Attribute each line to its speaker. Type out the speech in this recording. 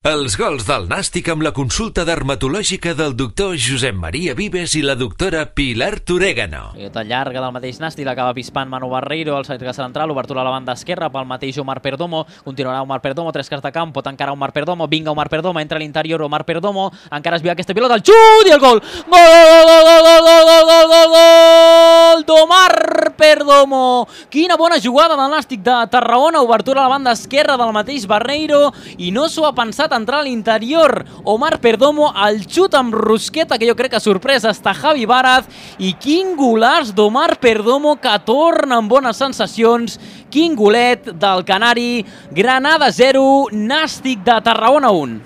Speaker 1: Els gols del Nàstic amb la consulta dermatològica del doctor Josep Maria Vives i la doctora Pilar Torégano.
Speaker 2: Pilota llarga del mateix Nàstic, l'acaba pispant Manu Barreiro, el centre central, obertura a la banda esquerra pel mateix Omar Perdomo, continuarà Omar Perdomo, tres quarts de camp, pot encara Omar Perdomo, vinga Omar Perdomo, entra a l'interior Omar Perdomo, encara es viu aquesta pilota, el xut i el gol! Gol d'Omar Perdomo! Quina bona jugada del Nàstic de Tarragona, obertura a la banda esquerra del mateix Barreiro, i no s'ho ha pensat entrar a l'interior Omar Perdomo, el xut amb rosqueta que jo crec que sorpresa està Javi Baraz, i quin golaç d'Omar Perdomo que torna amb bones sensacions, quin golet del canari. Granada 0, Nàstic de Tarragona 1.